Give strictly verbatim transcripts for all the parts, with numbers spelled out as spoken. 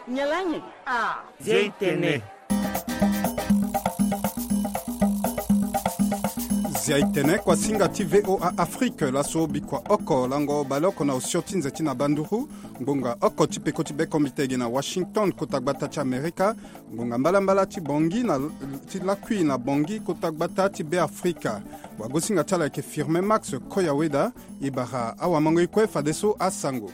Nyalange. Ah. Zia itene. Zia itene, kuasinga ti VOA Afrique, laso bikua oko lango baleoko na osio ti nze ti na banduru. Ngbonga oko ti peko ti bekombite gi na Washington, kota gbata ti Amerika. Ngbonga mbalambala ti Bangui na ti lakui na Bangui, kota gbata ti Beafrika. Wagosinga ti ala ayeke Firmin Max Koyaweda. E bara awamango e kue fadeso asango.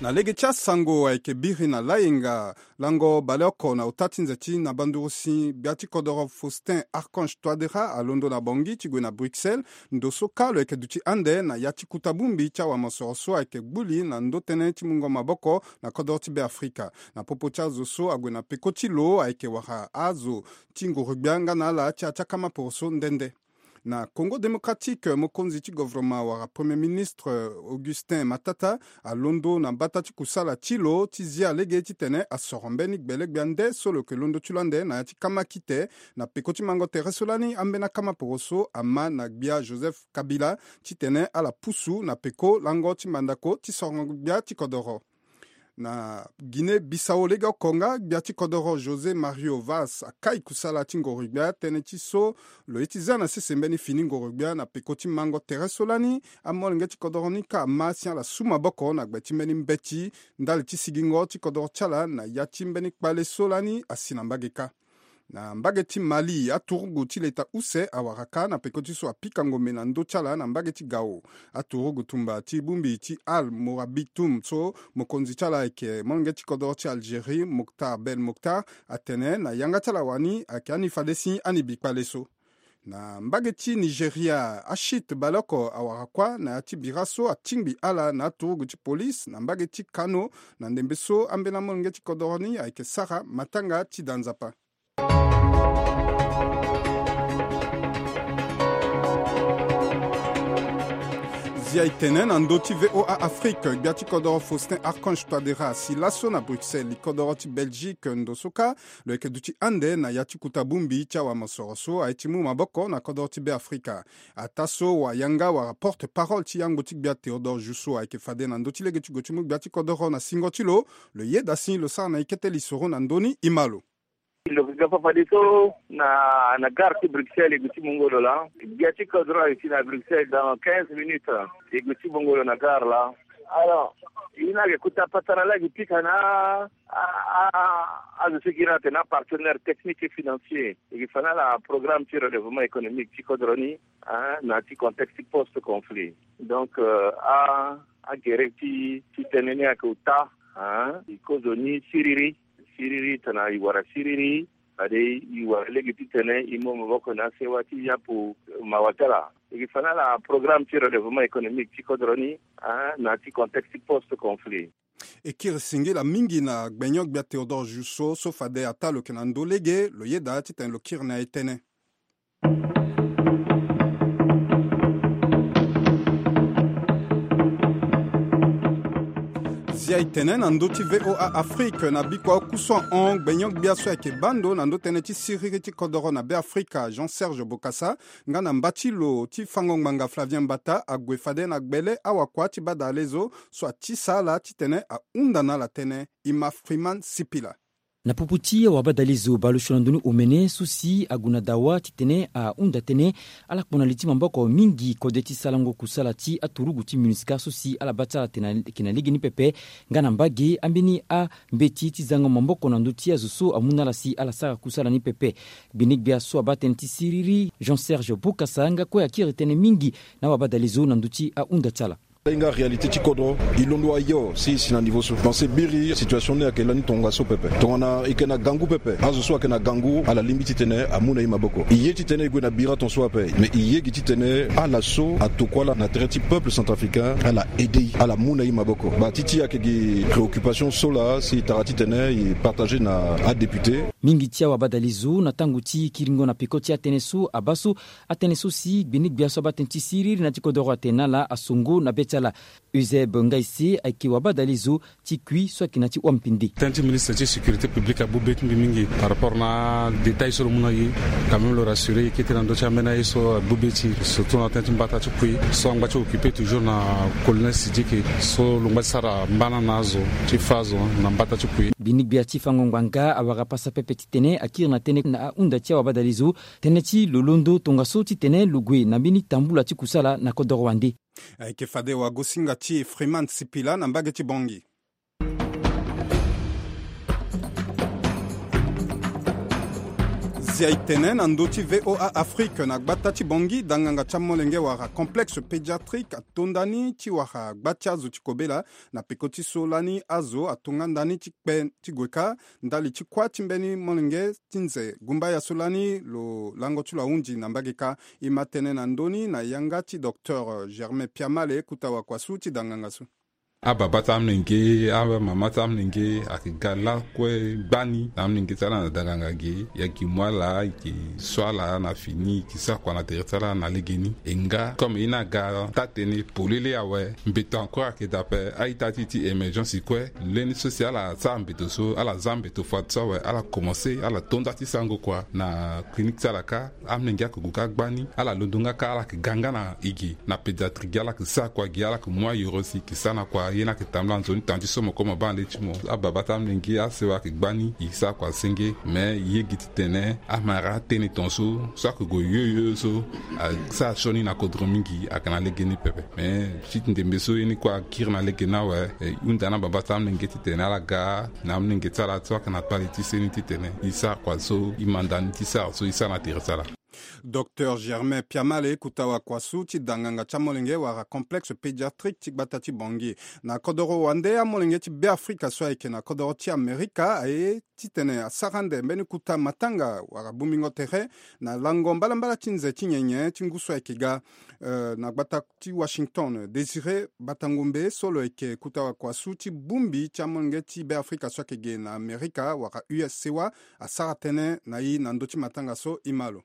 Na lege ti asango ayeke biri na layenga lango baleoko na ota ti nze ti na banduru si gbia ti kodoro Faustin Archange Touadéra alondo na Bangui ti gue na Bruxelles. Ndo so kâ lo yeke duti ande na ya ti kuta bongbi ti awamosoro so ayeke gbuli na ndo tënë ti mungo maboko na kodoro ti Beafrika. Na popo ti azo so ague na peko ti lo ayeke wara azo ti nguru-gbia nga na ala ti atia kama poroso nde nde. Na Congo Démocratique, mokonzi ti govoroma wala Premier Ministre Augustin Matata alondo na mbata ti kusala ti lo ti zia lege titene asoro mbeni gbele-gbia nde so lo yeke londo ti lo ande na ya ti kama kite na peko ti mango tere so lani ambeni akama poroso ama na gbia Joseph Kabila titene ala pusu na peko lango ti mandako ti sorongo gbia ti kodoro. Na Guinée Bissau legeoko nga, gbia ti kodoro José Mario Vaz akai kusala ti ngoro-gbia tënë ti so lo ye ti za na sese mbeni fini ngoro-gbia na peko ti mango tere so lani. Amolenge ti kodoro ni kâ ama si ala su maboko na gbe ti mbeni mbeti ndali ti sigingo ti kodoro ti ala na ya ti mbeni kpale so lani asi na mbage kâ. Na mbage ti Mali, aturugu ti leta use awara kâ na peko ti so apika ngombe na ndö ti ala na mbage ti Gao. Aturugu tumba ti bongbi ti Al Mourabitum so mokonzi ti ala ayeke molenge ti kodoro ti Algérie, Mokhtar Belmokhtar, atene na yanga ti ala wani ayeke ani fade si ani bi kpale so. Na mbage ti Nigeria, ashit baleoko awara kuâ na ya ti bira so atingbi ala na aturugu ti polise na mbage ti Kano, na ndembe so ambeni amolenge ti kodoro ni ayeke sara matanga ti da nzapa. Zia e tene na ndö ti VOA Afrique, gbia ti kodoro Faustin Archange Touadéra asi laso na Bruxelles, li kodoro ti Belgique. Ndo so kâ lo yeke duti ande na ya ti kuta bongbi ti awamosoro so aye ti mu maboko na kodoro ti Beafrika. Ataa so wayanga wala porte-parole ti yangbo ti gbia Théodore Jousso ayeke fade na ndö ti lege ti gue ti mu gbia ti kodoro na singo ti lo. Lo yeda si lo sara na e kete lisoro na ndö ni, e ma lo. Lo yeke ga fa fadeso na, na gare ti Bruxelles e gue ti mungo lo laa. Gbia ti kodoro ayeke si na Bruxelles dans quinze minutes. E gue ti mungo lo na gare laa. Alors, e ni ayeke kota patara laa e yeke pika na a, a, a, azo so e gi na atene apartenaire technique et financier. E yeke fa na ala programme ti relèvement économique ti kodoro ni, hein, na ti contexte post-conflit. Donc, euh, a, agere ti, ti tënë ni ayeke ota, hein, e kozo ni siriri, siriri, tongana e wara siriri, fade e wara lege titene e mu maboko na asewa ti yapu mawa ti ala. E yeke fa na ala programme ti relèvement économique ti kodro ni, hein, na ti contexte post-conflit. E kiri singila mingi na gbenyo-gbia Théodore Jousso so fade ataa lo yeke na ndö lege, lo yeda titene lo kiri na e tënë. Zia e tene na ndö ti VOA Afrique, na bikua oku so ahon gbenyo-gbia so ayeke baa ndo na ndö tënë ti siriri ti kodoro na Beafrika, Jean Serge Bokassa, nga na mba ti lo ti fango ngbanga Flavien Mbata ague fade na gbele awakua ti badalezo so atisa ala titene ahunda na ala tënë. E ma Freeman Sipila. Na popo ti awabadalezo baleosio na ndoni omene so si ague na dawa titene ahunda tënë, ala kpo na li ti maboko mingi kode ti sarango kusala ti aturugu ti MINUSCA so si ala baa ti ala tene ayeke na legeni pepe, nga na mbage ambeni ambeti ti zango maboko na ndö ti azo so amu na ala si ala sara kusala ni pepe. Gbene-gbia so abaa tënë ti siriri, Jean Serge Bokassa, nga kue akiri tënë mingi na awabadalezo na ndö ti ahunda ti ala. Nga réalité ti kodro, e londo ayo si e si na niveau so. Parce que biri situation ni ayeke lani tongaso pepe. Tongana e yeke na gangu pepe, azo so ayeke na gangu ala lingbi titene amu na e maboko. E ye titene e gue na bira ton so ape. Mais e ye gi titene ala so atokua ala na tere ti peuple centrafricain, ala aide e, ala mu na e maboko. Ba ti ti ayeke gi préoccupation so laa si e tara titene e partager na adéputé. Mingi ti awabadalezo na tango ti kiringo na peko ti atënë so abaa so, atënë so si gbene-gbia so abaa tënë ti siriri na ti kodoro atene na ala asongo na be ti Euseb Ngaise ayeke wabadale zo ti kui so ayeke na ti wampinde. Tënë ti ministre ti sécurité publique abu be ti mbi mingi par rapport na détail so lo mu na e. Quand même lo rassurer e kete na ndö ti ambeni aye so abu be ti surtout na tënë ti mbata ti kui so angba ti occupé toujours na colonel Sidiki so lo ngba ti sara mbana na azo ti fa azo na mbata ti kui. Mbeni gbia ti fango ngbanga awara pasa pepe titene akiri na tënë na ahunda ti awabadale zo tënë ti lo londo tongaso titene lo gue na mbeni tambula ti kusala na kodoro wande. Ayeke fade wagosinga ti Freeman Sipila na mbage ti Bongi. Zia e tene na ndö ti V O A Afrique na gbata ti Bongi danganga ti amolenge wala complexe pédiatrique ato ndani ti wara gba ti azo ti kobela na peko ti so lani azo ato nga ndani ti kpe ti gue kâ ndali ti kuâ ti mbeni molenge ti nze gumbaya so lani lo lango ti lo ahunzi na mbage kâ. E ma tene na ndö ni na yanga ti docteur Germain Piamale kuta wakuasu ti danganga so. Ababa ti amolenge, amama ti amolenge ayeke ga lakue gbani na amolenge ti ala na danganga ge. E yeke mu ala, e yeke so ala na fini, e yeke sara kua na tere ti ala na legeni. E nga comme e ni aga taa-tënë polele awe, mbeto encore ayeke daa ape. A-ita ti e ti émergence kue, leni so si ala sara mbeto so, ala za mbeto fade so awe, ala komanse ala to nda ti sarango kua na clinique ti ala kâ. Amolenge ayeke gue kâ gbani, ala londo nga kâ, ala yeke ga nga na e ge na pédiatrie ge, ala yeke sara kua ge, ala yeke mu ayoro si e yeke sara na kua. Ye ni ayeke tambula nzoni tanga ti so mo kue mo baa na le ti mo. Ababa ti amolenge, asewa ayeke gbani, e sara kua senge. Me e yege titene amara atënë tongaso so ayeke gue yoyo so asara sioni na kodro mingi ayeke na legeni pepe. Me ti ndembe so ye ni kue akiri na legeni awe, e hunda na ababa ti amolenge titene ala ga na amolenge ti ala so ayeke na kpale ti seni titene e sara kua so e manda ni ti sara so e sara na tere ti ala. Docteur Germain Piamale kuta wakuasu ti danganga ti amolenge wala complexe pédiatrique ti gbata ti Bongi. Na kodoro wande, amolenge ti Beafrika so ayeke na kodoro ti Amerika aye titene asara ande mbeni kuta matanga wala bongbingo tere na lango mbalambala ti nze ti nyenye ti ngu so ayeke ga, eh, na gbata ti Washington. Désiré Batangombe so lo yeke kuta wakuasu ti bongbi ti amolenge ti Beafrika so ayeke ge na Amerika wala U S C wa asara tënë na e na ndö ti matanga so. E ma lo.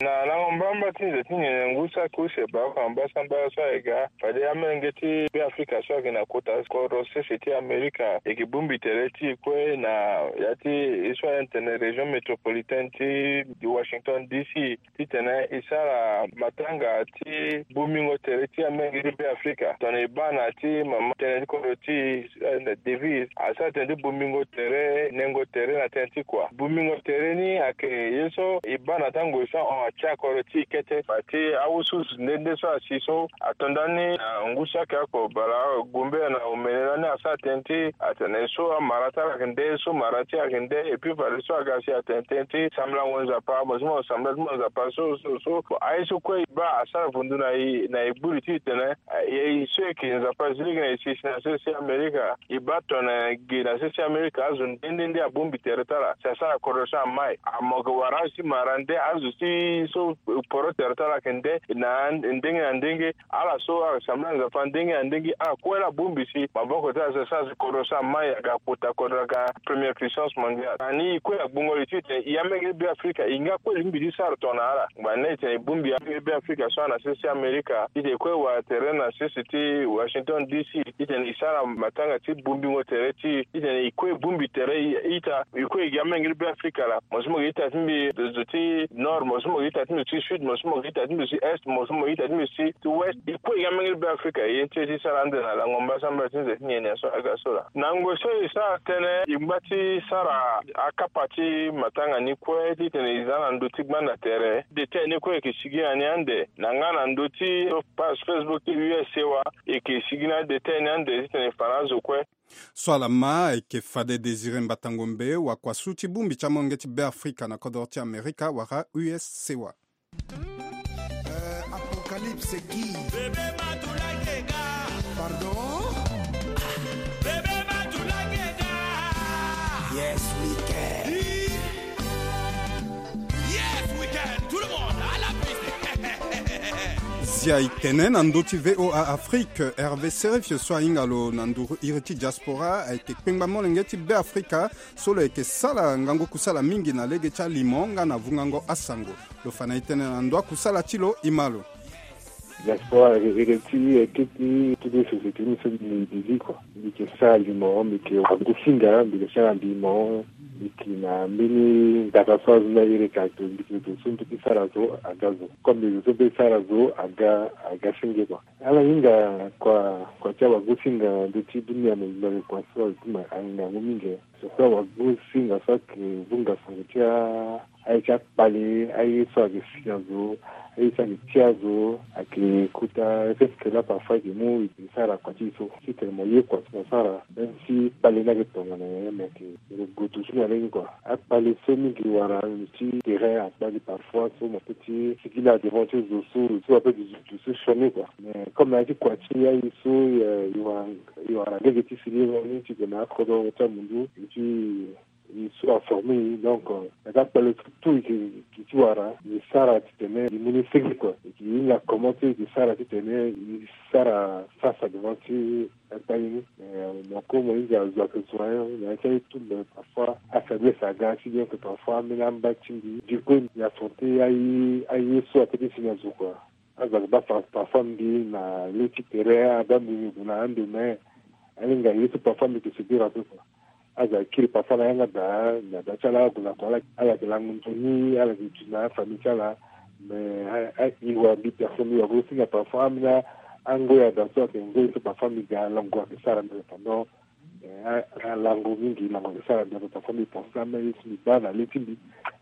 Na lango mbamba ti nze ti nyenye ngu saki use baa oko na mbasambala so ayeke ga, fade amolenge ti Beafrika so ayeke na kota kodro sese ti Amerika e yeke bongbi tere ti e kue na ya ti e so atene région métropolitaine ti Washington D C titene e sara matanga ti bongbingo tere ti amolenge ti Beafrika. Tongana e baa na ya ti mama tënë ti kodro ti e, eh, Davis, asara tënë ti bongbingo tere, nengo tere na tënë ti kua. Bongbingo tere ni ayeke ye so e baa na tango e so ahon atia kodro ti e kete. Bati awususu nde nde so asi so ato ndani na ngu saki oko bala gumbe na omene lani asara tënë ti atene so amara ti ala ayeke nde, so mara ti ala ayeke nde, et puis fade so aga si atene tënë ti sambelango Nzapa, mo si mo sambela ti mo Nzapa so so so. Bon, aye so kue e baa asara vundu na e, na e gbu li titene e so e yeke Nzapa zi lege na e si si na sese ti Amerika. E baa tongana e gi na sese ti Amerika azo nde nde nde abongbi tere ti ala si asara kodro so amai. Amo yeke wara azo ti mara nde, azo ti so poro tere ti ala ayeke nde na ndenge na ndenge. Ala so ayeke sambela Nzapa ndenge na ndenge, ala kue laa abongbi si maboko ti ala si asara si kodro so amai aga kota kodro aga première puissance mondiale. Na ni e kue agbongo li titene e amolenge ti Beafrika e nga kue lingbi ti sara tongana ala. Ngba ni laa e tene e bongbi amolenge ti Beafrika so ana sese ti Amerika titene e kue wara tere na sese ti Washington D C titene e sara matanga ti bongbingo tere ti e titene e kue e bongbi tere ita. E kue e gi amolenge ti Beafrika laa, mo so mo gi ita ti mbi zo ti nord, mo so mo gi ita ti mbi zo ti sud, mo so mo gi ita ti mbi zo ti est, mo so mo gi ita ti mbi zo ti west. E kue e gi amolenge ti Beafrika, e ye ni ti e ti sara ande na lango mbasambala ti nze ti nyenye so aga so laa. Na ngoi so e sara tënë, e ngba ti sara akapa ti matanga ni kue titene e za na ndö ti gbanda tere. Detail ni kue e yeke sigi na ni ande na nga na ndö ti page Facebook ti U S C wa, e yeke sigi na detail ni ande titene e fa na azo kue. So ala ma ayeke fade Désiré Mbatangombe, wakuasu ti bongbi ti amolenge ti Beafrika na kodro ti Amerika wala U S C wa. Euh, Apocalypse qui? Bébé Matoula Keka. Pardon? Bébé Matoula Keka. Yes, we can. Yes, we can. Tout le monde, à la piste. Zia e tene na ndö ti V O A Afrique, Hervé Serif so ahinga lo na nduru iri ti diaspora ayeke kpengba molenge ti Beafrika so lo yeke sala ngangu kusala mingi na lege ti alimo nga na vungango asango. Lo fa na e tënë na ndö akusala ti lo, e ma lo. Diaspora ere ti eke ti tout de société ni so mbi mbi zi kua. Mbi yeke sara limo, mbi yeke wagosinga, mbi yeke sara limo. Mbi yeke na mbeni ndaka so azo ni ayeke ake, mbi yeke zo so mbi ti sara zo aga zo, comme mbi zo so mbi ti sara zo aga aga senge kua. Ala hinga kua kua ti awagosinga ndö ti dunia mobimba, kua so azo ti ma ahinga ngu mingi. Surtout awagosinga so ayeke vunga sango ti a aye ti akpale, aye so ayeke si na zo, aye so ayeke ti azo, ayeke kota. Est-ce que là parfois ayeke mu e yeke sara kua ti e so? Titene mo ye kua ti mo sara, même si kpale ni ayeke tongana nyen, mais ayeke gue duti na lege kua. Akpale so mingi wara ti terrain akpale parfois so mo peut ti sigi na devant ti zo so, zo so ape duti so sioni kua. Mais comme na ya ti kua ti aye so, e wara, e wara lege ti sigi ni titene akodro ti amundu e ti e so aforme e. Donc, euh, na ka kpale so tout e yeke ti wara, e sara titene e mu ni senge kua. E yeke hinga comment so e yeke sara titene e sara face à devant ti akpale ni. Mais, euh, mo ko mo hinga zo ayeke zo, hein, na ya ti aye tout, mais parfois afaiblesse aga si bien que parfois ambeni amba ti mbi. Du coup, mbi affronter aye, aye so ape ti si na zo kua. Azo ayeke baa parfois mbi na le ti tere, abaa mbi mbi gue na ando, mais ahinga ye so parfois mbi yeke subir ape kua. Azo ayeke kiri parfois na yanga daa, na daa ti ala ague na kua, ala yeke lango nzoni, ala yeke duti na afamille ti ala. Mais a, a, e wara mbi personne, e wara gosinga parfois ambeni angoi daa so ayeke ngoi so parfois mbi ga lango ayeke sara mbi pendant. Eh, a, a lango mingi, lango ayeke sara mbi ape parfois mbi pense na aye so mbi baa na le ti mbi,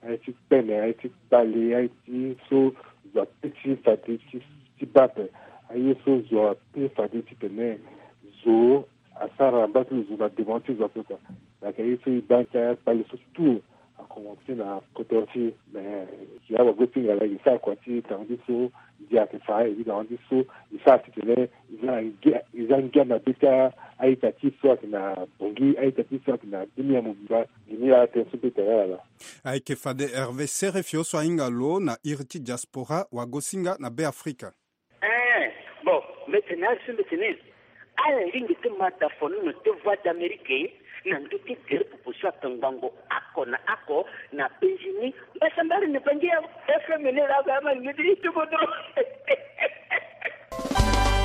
aye ti kpene, aye ti kpale, aye ti so zo ape ti fade ti, ti baa ape. Aye so zo ape fade titene zo asara na mbage ti lo, zo na devant ti zo ape kua. Ayeke aye so e baa ti akpale so tout. Akomanse na kodro ti e, mais si awagosinga laa e sara kua ti tanga ti so, ndia ayeke fa, e évidemment ti so e sara titene e za na ngia, e za ngia na be ti a-ita ti e so ayeke na Bangui, a-ita ti e so ayeke na dunia mobimba. Ngi ni laa tënë so mbi tene ala laa. Ayeke fade Hervé Serefio so ahinga lo na iri ti diaspora wagosinga na Be Afrika. Eh, bon, mbi tene ala so mbi tene ala lingbi ti ma dafonono ti Voix d'Amérique na ndö ti gere popo so atongbango oko na oko na Benjini. Mbasambara na Bangi ya F M ni laa, ama lingbi ti ti kodro.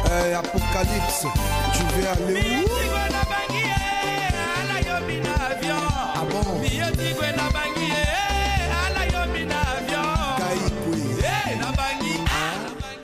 Eh, Apocalypse, tu veux aller où? Ah bon? Kai kue.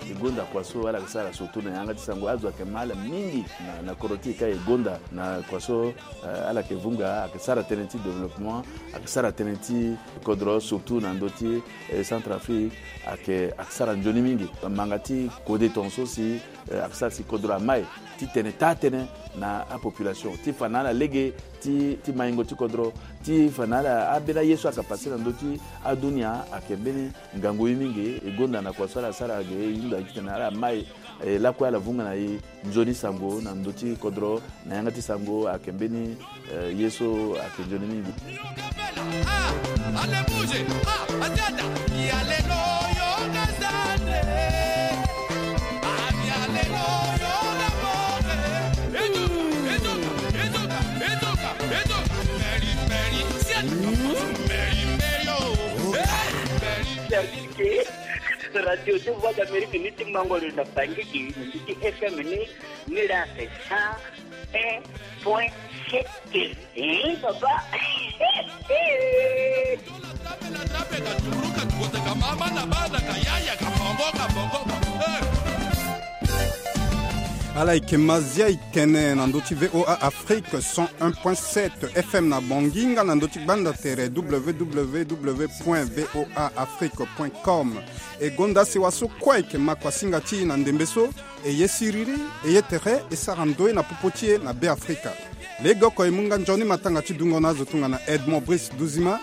E gonda kua so ala yeke sara surtout na yanga ti sango. Azo ayeke ma ala mingi na, na kodro ti e ka e gonda na kua so, eh, ala yeke vunga, ayeke sara tënë ti développement, ayeke sara tënë ti kodro, surtout na ndö ti, eh, Centrafrique, ayeke, ayeke sara nzoni mingi. Manga ti kode tongaso si, eh, ayeke sara si kodro amai titene taa tënë na apopulation, ti fa na ala lege ti, ti maingo ti kodro, ti fa na ala ambeni aye so ayeke pase na ndö ti adunia, ayeke mbeni ngangu ye mingi. E gonda na kua so ala sara ge, e hunda titene ala mai, e lakue ala vunga na e nzoni sango na ndö ti kodro, na yanga ti sango ayeke mbeni, eh, ye so ayeke nzoni mingi. C'est-à-dire que Radio ti Voix d'Amérique ni ti mango lo na Bangui, ni ti F M ni, ni la c'est cent un point sept. Eh, papa. Ala yeke Mazia Ikene na ndö ti V O A Afrique cent un point sept F M na Bangui, nga na ndö ti gbanda tere W W W point V O A Afrique point com. E gonda sewa so kue ayeke ma kuasinga ti e na ndembe so, e ye siriri, e ye tere, e sara ndoye na popo ti e na Be Afrika. Legeoko e mu nga nzoni matanga ti dungo na azo tongana Edmond Brice Duzima,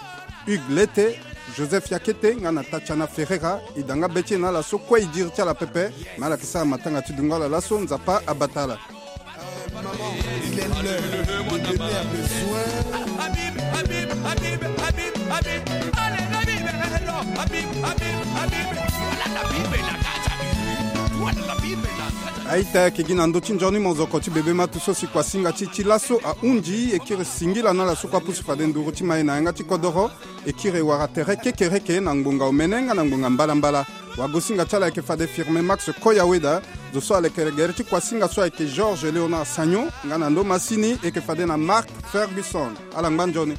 Hugues Lete, Joseph Yakete nga na Tatiana Ferreira. E da nga be ti e na ala so kue e diri ti ala pepe, me ala yeke sara matanga ti dungo ala laso. Nzapa abata ala. Maman, il est l'heure. Le bébé a besoin. Aita, ayeke gi na ndö ti nzoni mozoko ti bebe matu so si kuasinga ti e ti laso ahunzi. E kiri singila na ala so kue apusu fade nduru ti ma e na yanga ti kodoro. E kiri e wara tere kekereke na ngbonga omene nga na ngbonga mbalambala. Wagosinga ti ala ayeke fade Firme Max Koyaweda. Zo so alekere gere ti kuasinga so ayeke Georges Léonard Sagnon nga na ndo masini eke fade na Mark Ferguson. Ala ngba nzoni.